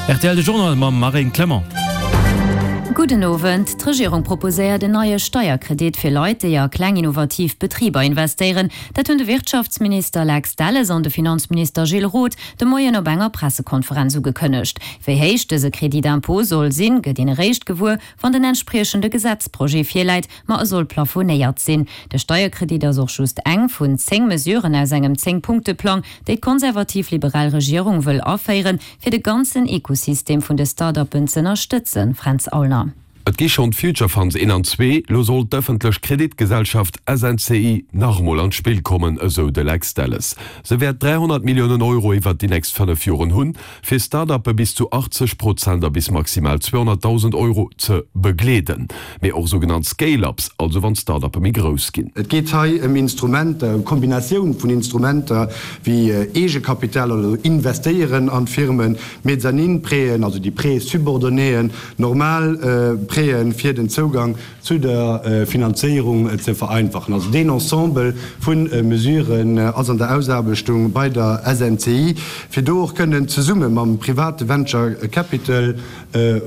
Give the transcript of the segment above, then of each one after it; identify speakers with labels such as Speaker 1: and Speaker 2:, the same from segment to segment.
Speaker 1: Rtl De Journal mam Marine Clement.
Speaker 2: Gudden Owend. D'Regierung proposéiert en neie Steierkredit fir Leit, déi a kleng innovativ Betriber investéieren. Dat hunn de Wirtschaftsminister Lex Delles an de Finanzminister Gilles Roth de Moien op enger Pressekonferenz ugekënnegt. Wéi héich dëse Crédit d'impôt soll sinn, gëtt een eréischt gewuer, wann den entspriechende Gesetzprojet virläit. Ma e soll plafonéiert sinn. De Steierkredit ass och just eng vun 10 Mesuren aus engem 10-Punkte-Plang, déi d'konservativ-liberal Regierung wëll aféieren, fir de ganzen Ekosystem vun de Start-uppen z'ënnerstëtzen. Fränz Aulner.
Speaker 3: Et gi schonn d'Future Funds 1 an 2, lo soll d'ëffentlech Kreditgesellschaft SNCI nach emol an d'Spill kommen, esou de Lex Delles. Se wäert 300 Milliounen Euro iwwert déi nächst 5 Joren hunn, fir Start-uppe bis zu 80 Prozent a bis maximal 200.000 Euro ze begleeden, mee och sougenannt Scale-ups, also wann d'Start-uppe méi grouss ginn.
Speaker 4: Et geet hei ëm Instrumenter, ëm Kombinatioun vun Instrumenter wéi Eegekapital, also Investéieren an d'Firmen, Mezzanine-Prêten, also déi Prêts-subordonnéen, normal Prêten, fir den Zougang zu der Finanzéierung ze vereinfachen. Also deen Ensemble vu Mesuren ass an der Ausaarbechtung bei der SNCI, fir do och kënnen zesumme mam private Venture Capital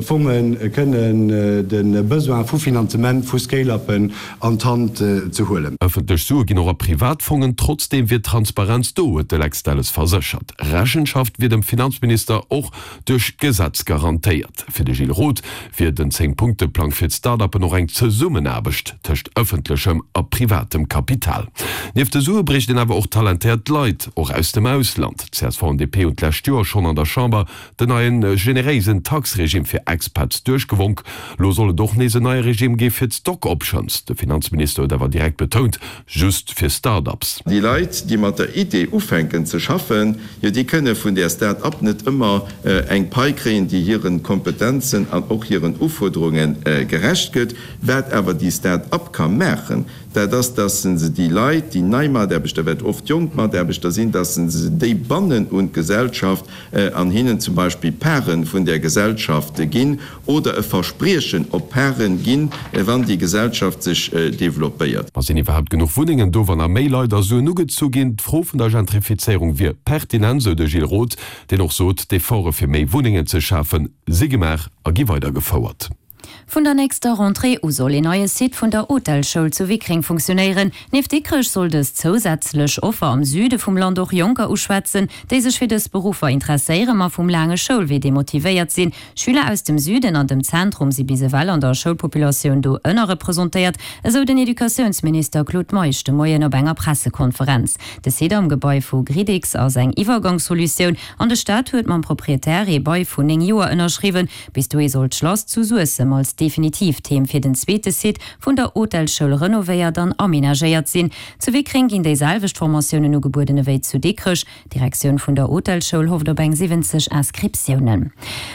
Speaker 4: Fonge kënnen de Besoin vu Finanzement vu Scale-uppen an d'Hand ze huelen.
Speaker 3: Ëffentlech Sue ginn och a privat Fongen, trotzdeem wier Transparenz do, huet de Lex Delles verséchert. Rechenschaft wier dem Finanzminister och duerch d'Gesetz garantéiert. Fir de Gilles Roth wier den Zéng-Punkte-Plang fir d'Start-uppen och eng Zesummenaarbecht tëscht ëffentlechem a privatem Kapital. Nieft de Sue bréicht een awer och talentéiert Leit, och aus dem Ausland. Csv an DP hunn d'lescht Joer schonn an der Chamber den neien generéisen Tax-Regime fir Expats duerchgewonk. Lo soll et och nees en neie Regime gi fir d'Stock Options. De Finanzminister huet awer direkt betount, just fir Start-ups.
Speaker 5: Déi Leit, déi mat der Idee ufänken ze schaffen, jo déi kënne vun där Start-up net ëmmer eng Pai kréien, déi hire Kompetenzen an och hiren Ufuerderunge gerecht gëtt. Wat awer déi Start-up ka maachen, dat ass, dass se déi Leit, déi nei Mataarbechter, wat oft jonk Mataarbechter sinn, dass se déi bannen un d'Gesellschaft an hinnen zum Beispill Pare vun där Gesellschaft ginn oder e Verspriechen op Paren ginn, wann déi Gesellschaft sech developpéiert.
Speaker 3: Ma sinn iwwerhaapt genuch Wunnengen do, wann nach méi Leit a Suen ugezu ginn? D'Fro vun der Gentrifizéierung wier pertinent, sou de Gilles Roth, deen och sot, d'Efforte fir méi Wunnengen ze schafen, si gemaach a gi weidergefouert.
Speaker 2: Vun der nächster Rentrée u soll een neie Site vun der Hotelschoul zu Wickreng funktionéieren. Nieft Dikrech soll dës zousätzlech Offer am Süde vum Land och Jonker uschwätzen, déi sech fir dës Beruffer interesséieren, ma vum laange Schoulwee demotivéiert sinn. Schüler aus dem Süden an dem Zentrum si bis ewell an der Schoulpopulatioun do ënnerrepresentéiert, esou den Educatiounsminister Claude Meisch de Moien op enger Pressekonferenz. De Site am Gebai vu Gridix ass eng Iwwergangssolutioun an de Staat huet mam Proprietär ee Bail vun 9 Joer ënnerschriwwen. Bis dohi soll d'Schlass zu Suessem als definitiivt Heem fir den zweete Site vun der Hotelschoul renovéiert an amenagéiert sinn. Zu Wickreng ginn déi selwecht Formatiounen ugebueden ewéi zu Dikrech. D'Direktioun vun der Hotelschoul hofft op eng 70 Inscriptiounen.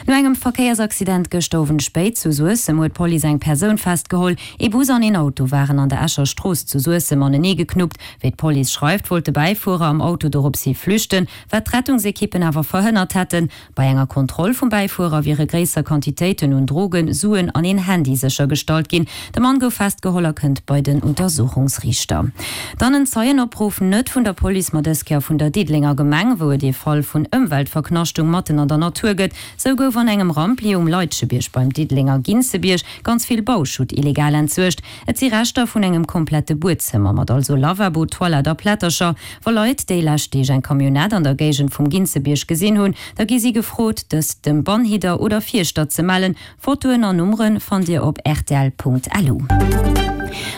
Speaker 2: No engem Verkéiersaccident gëschter Owend spéit zu Suessem huet d'Police eng Persoun festgeholl. Ee Bus an een Auto waren an der Escher Strooss zu Suessem anenee geknuppt. Wéi d'Police schreift, wollt de Bäifuerer am Auto doropshi flüchten, wat d'Rettungsekippen awer verhënnert hätten. Bei enger Kontroll vum Bäifuerer wiere gréisser Quantitéiten un Drogen, Suen an een Handy séchergestallt ginn. De Mann gouf festgeholl a kënnt bei den Untersuchungsriichter. Dann en Zeienopruff, net vun der Police, ma dës Kéier vun der Diddelenger Gemeng, wou et ee Fall vun Ëmweltverknaschtung matten an der Natur gëtt. Sou gouf an engem Rampli um Leitschebierg beim Diddelenger Ginzebierg ganz vill Bauschutt illegal entsuergt. Et si Reschter vun engem komplette Buedzëmmer, mat also Lavabo, Toilette a Plättercher. Wa Leit déi lescht Deeg eng Camionnette an der Géigend vum Ginzebierg gesinn hunn, da gi si gefrot, dës dem Bannhidder oder Fierschter ze mellen. Fotoen an Nummere fannt Dir op rtl.lu.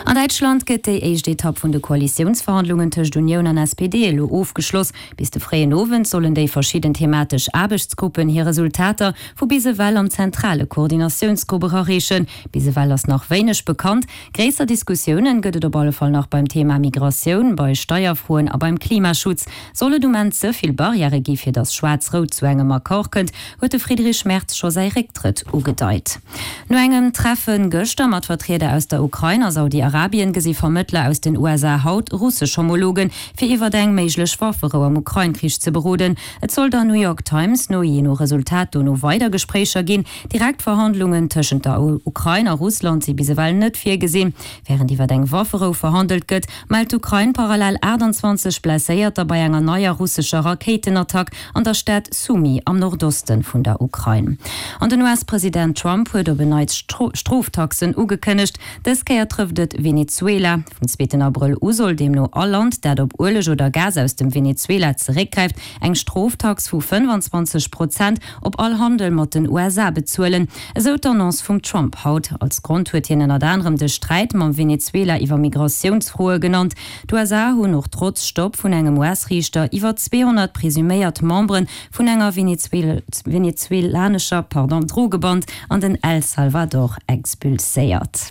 Speaker 2: An Däitschland gëtt déi éischt Etapp vun de Koalitiounsverhandlungen tëscht Unioun an SPD elo ofgeschloss. Bis de fréien Owend sollen déi verschidden thematesch Aarbechtsgruppen hir Resultater vu bis ewell am zentrale Koordinatiounsgrupp erareechen. Bis ewell ass nach wéineg bekannt. Gréisser Diskussiounen gëtt et op alle Fall nach beim Thema Migratioun, bei Steierfroen a beim Klimaschutz. Soll et um Enn ze vill Barrièrë gi fir datt Schwaarz-Rout zu engem Accord kënnt, huet de Friedrich Merz scho säi Récktrëtt ugedeit. No engem Treffe gëschter mat Vertrieder aus der Ukrain ass. Saudi-Arabien gesi Vermëttler aus den USA haut russesch Homologen, fir iwwert eng méiglech Wafferou am Ukrain-Krich ze beroden. Et soll der New York Times no jee no Resultat dono weider Gespréicher ginn. Direkt Verhandlungen tëschent der Ukrain a Russland si bis ewell net virgesinn. Wärend iwwer eng Wafferou verhandelt gëtt, mellt d'Ukrain parallel 28 Blesséierter bei enger neier russescher Rakéitenattack an der Stad Sumy am Nordoste vun der Ukrain. An den US-President Trump huet op en Neits Stroftaxen ugekënnegt. Dës Kéier trëfft et Venezuela. Vum zweeten Abrëll u soll deemno all Land, dat op Ueleg oder Gas aus dem Venezuela zeréckgräift, eng Stroftax vu 25 Prozent op all Handel mat den USA bezuelen, esou d'Annonce vum Trump haut. Als Grond huet hien ënnert anerem de Sträit mam Venezuela iwwer Migratiounsfroe genannt. D'USA hunn och trotz Stopp vun engem US-Riichter iwwer 200 presuméiert Membere vun enger venezuelanescher Drogeband an den El Salvador expulséiert.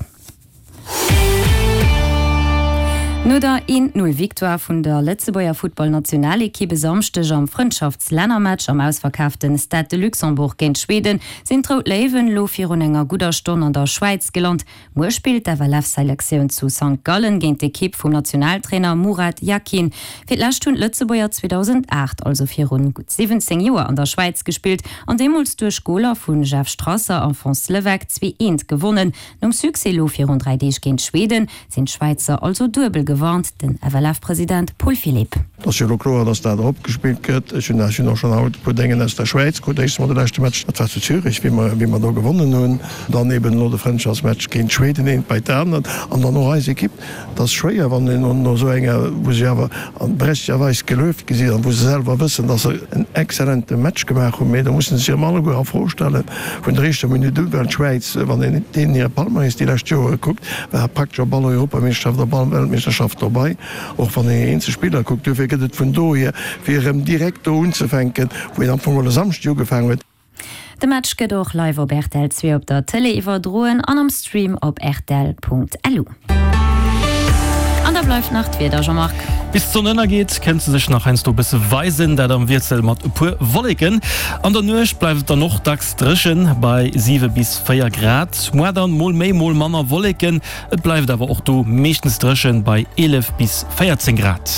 Speaker 2: No der 1, 0 Victoire vun der Lëtzebuerger Futtballnationalekipp e Samschdeg am Frëndschaftslännermatch am ausverkaafte Stade de Luxembourg géint Schweden, sinn d'Rout Léiwen elo virun enger gudder Stonn an der Schwäiz gelant. Muer spillt d'FLF-Selektioun zu Sankt Gallen géint d'Ekipp vum Nationaltrainer Murat Yakin. Fir d'lescht hunn d'Lëtzebuerger 2008, also virun gutt 17 Joer, an der Schwäiz gespillt an deemools duerch Goler vu Jeff Strasser a Fons Leweck 2, 1 gewonnen. Nom Succès elo virun 3 Deeg géint Schweden, sinn d'Schwäizer also duebel gewarnt, den FLF-President Paul Philipp.
Speaker 6: Et ass jo elo kloer, datt dat eropgespillt gëtt. Ech hunn ech hunn och schonn haut e puer Déngen aus der Schwäiz krut. Éischtens mol de leschte Match, dat war zu Zürich, wéi mer wéi mer do gewonnen hunn. Dann eben elo de Frëndschaftsmatch géint Schweden, eent bei d'anert. An dann och eis Ekipp. Et ass schwéier, wann een no esou enger, wou se awer berechtegterweis gelueft gi sinn an wou se selwer wëssen, datt se en exzellente Match gemaach hunn, mee do musse se sech erëm alleguer a Fro stellen vun der éischter Minutt un, well d'Schwäiz, wann een deenen hire Palmarès déi lescht Jore kuckt, war praktesch op all Europameeschterschaft, op all Weltmeeschterschaft dobei, och wann een eenzel Spiller kuckt. Duerfir gëtt et vun dohier, fir erëm direkt do unzefänken, wou een am Fong geholl e Samschdeg ugefaangen huet.
Speaker 2: De Match gëtt och live op rtl 2 op der Tëlee iwwerdroen an am Stream op rtl.lu. An da bleift nach d'Wieder, Jean-Marc.
Speaker 1: Bis d'Sonn ënnergeet, kënnt se sech nach heiansdo e bësse weisen, dat am Wiessel mat e puer Wolleken. An der Nuecht bleift et dann och dacks dréchen, bei 7 bis 4 Grad. Muar dann mol méi, mol manner Wolleken, et bleift awer och do meeschtens dréchen, bei 11 bis 14 Grad.